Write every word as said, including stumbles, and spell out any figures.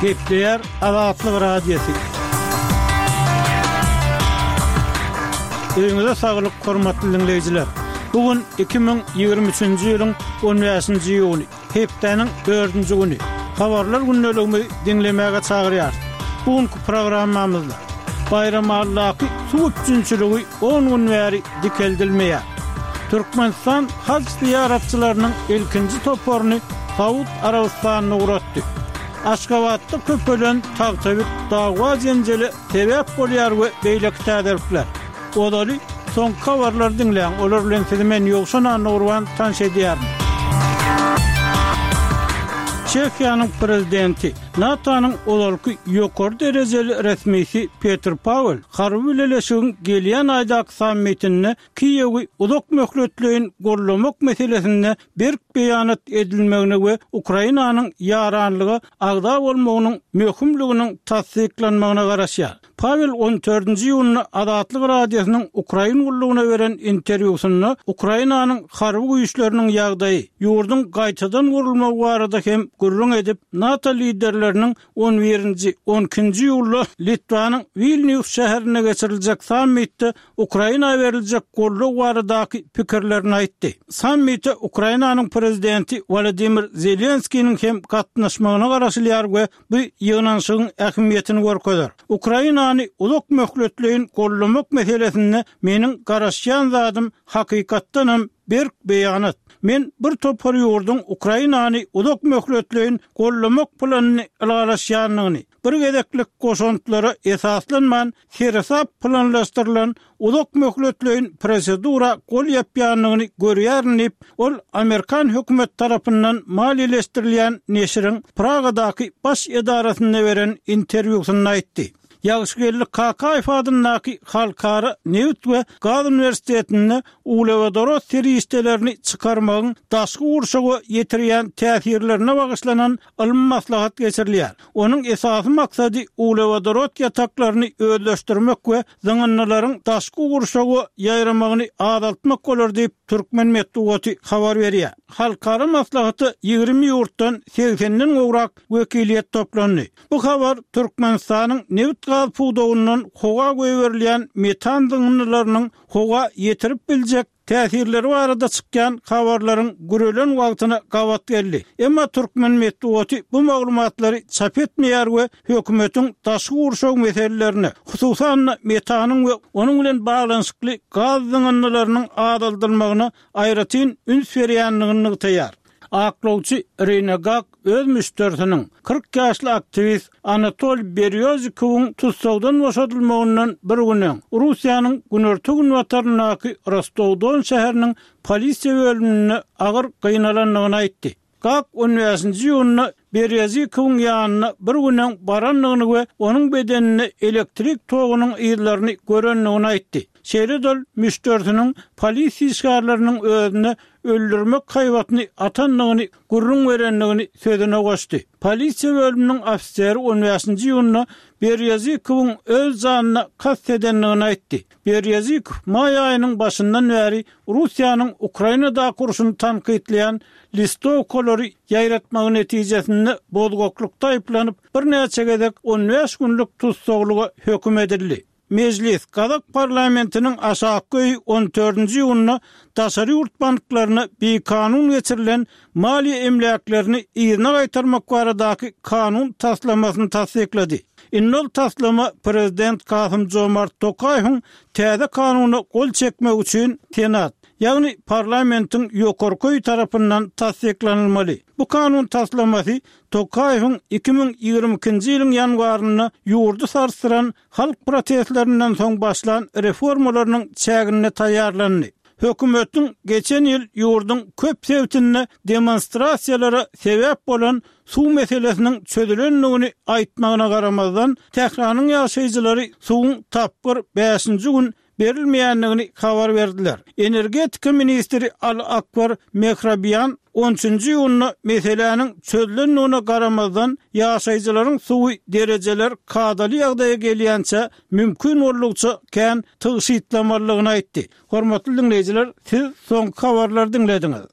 Gepleýär Azatlyk Radiosy. Öýüňize saglyk, hormatly diňleýjiler! Bu gün iki müň ýigrimi üçünji ýylyň on bäşinji iýuny, hepdäniň dördünji güni. Habarlar gündeligimizi diňlemäge çagyrýarys. Bu günki programmamyzda Baýramalydaky suw üpjünçiligi on gün bäri dikeldilmeýär. Türkmenistan haj zyýaratçylarynyň ilkinji toparyny Saud Arabystanyna ugratdy. Aşgabatda köpelen tagtabit dawa-jenjele sebäp bolýar we beýleki täzelikler. Ozaly soňky habarlary diňläň, olar bilen sizi men Ýowşan Annagurban tanyş edýärin. Çehiýanyň prezidenti, NATO-nyň ozalky ýokary derejeli resmisi Petr Pawel harby bileleşigiň gelýän aýdaky sammitinde Kiýewi uzak möhletleýin gollamak meselesinde berk beýanat edilmegine we Ukrainanyň ýaranlyga agza bolmagynyň möhümliginiň tassyklanmagyna garaşýar. Pawel on dördünji iýunda Azatlyk Radiosynyň Ukrain gullugyna beren interwýusynda Ukrainanyň harby güýçleriniň ýagdaýy, ýurduň gaýtadan gurulmagy barada hem gürrüň edip, NATO liderleriniň on birinji, on ikinji iýulda Litwanyň Wilnýus şäherinde geçiriljek sammitde Ukraina beriljek goldaw baradaky pikirlerini aýtdy. Sammite Ukrainanyň prezidenti Wolodymyr Zelenskiniň hem gatnaşmagyna garaşylýar we bu ýygnanyşygyň ähmiýetini görkezer. Ukrainany uzak möhletleýin goldamak meselesinde meniň garaşýan zadym hakykatdanam berk beýanat. Men bir topar ýurduň Ukrainany uzak möhletleýin goldamak planyny ylalaşýandygyny, bir gezeklik goşantlara esaslanman seresap planlaşdyrylan uzak möhletleýin prosedura gol ýapýandygyny görýärin diýip, ol amerikan hökümet tarapyndan maliýeleşdirilýän neşiriň Pragadaky baş edarasynda beren interwýusynda aýtdy. Ýagşygeldi Kakaýew adyndaky Halkara nebit we gaz uniwersitetinde uglewodorod serişdelerini çykarmagyň daşky gurşawa ýetirýän täsirlerine bagyşlanan ylmy maslahat geçirilýär. Onuň esasy maksady uglewodorod ýataklaryny özleşdirmek we zyňyndylaryň daşky gurşawa ýaýramagyny azaltmak bolar diýip, türkmen metbugaty habar berýär. Halkara maslahata ýigrimi ýurtdan segsenden gowrak wekiliýet toplandy. Bu habar Türkmenistanyň nebit-gaz pudagyndan howa goýberilýän metan zyňyndylarynyň howa ýetirip biljek täsirleri barada çykýan habarlaryň gürelen wagtyna gabat geldi. Emma türkmen metbugaty bu maglumatlary çap etmeýär we hökümetiň daşky gurşaw meselelerine, hususan-da metanyň we onuň bilen baglanyşykly gaz zyňyndylarynyň azaldylmagyna aýratyn üns berýändigini nygtaýar. Aklawçy Irina Gak öz müşderisiniň, kyrk ýaşly aktiwist Anatoliý Berýozikowyň tussagdan boşadylmagyndan bir gün öň, Russiýanyň günorta-günbataryndaky Rostow-Don şäheriniň polisiýa bölüminde agyr gynalandygyny aýtdy. Gak on bäşinji iýunda Berýozikowyň ýanyna bir gün öň barandygyny we onuň bedeninde elektrik togunyň yzlaryny görendigini aýtdy. Şeýle-de ol müşderisiniň polisiýa işgärleriniň özüne öldürmek haýbatyny atandygyny gürrüň berendigini sözüne goşdy. Polisiýa bölüminiň ofiseri on bäşinji iýunda Berýozikowyň öz janyna kast edendigini aýtdy. Berýozikow maý aýynyň başyndan bäri Russiýanyň Ukrainadaky urşuny tankytlaýan listowkalary ýaýratmagy netijesinde bozgaklykda aýyplanyp, birnäçe gezek on bäş günlük tussaglyga höküm edildi. Mejlis, gazak parlamentiniň aşakky öýi on dördünji iýunda daşary ýurt banklaryna bikanun geçirilen maliýe emläklerini yzyna gaýtarmak baradaky kanun taslamasyny tassyklady. Indi ol taslama prezident Kasym-Jomart Tokaýewiň täze kanuna gol çekmegi üçin Senat, ýagny parlamentiň ýokarky öýi tarapyndan tassyklanylmaly. Bu kanun taslamasy Tokaýewiň iki müň ýigrimi ikinji ýylyň ýanwarynda ýurdy sarsdyran halk protestlerinden soň başlan reformalarynyň çäginde taýýarlandy. Hökümetiň geçen ýyl ýurduň köp sebitinde demonstrasiýalara sebäp bolan suw meselesiniň çözülendigini aýtmagyna garamazdan, Tähranyň ýaşaýjylary suwuň tapgyr bäşinji gün berilmeýändigini habar berdiler. Energetika ministri Al Akbar Mehrabian on üçünji iýunda meseläniň çözülendigine garamazdan, ýaşaýjylaryň suwy derejeler kadaly ýagdaýa gelýänçä mümkin boldugyça kän tygşytlamalydygyny aýtdy. Hormatly diňleýjiler, siz soňky habarlary diňlediňiz.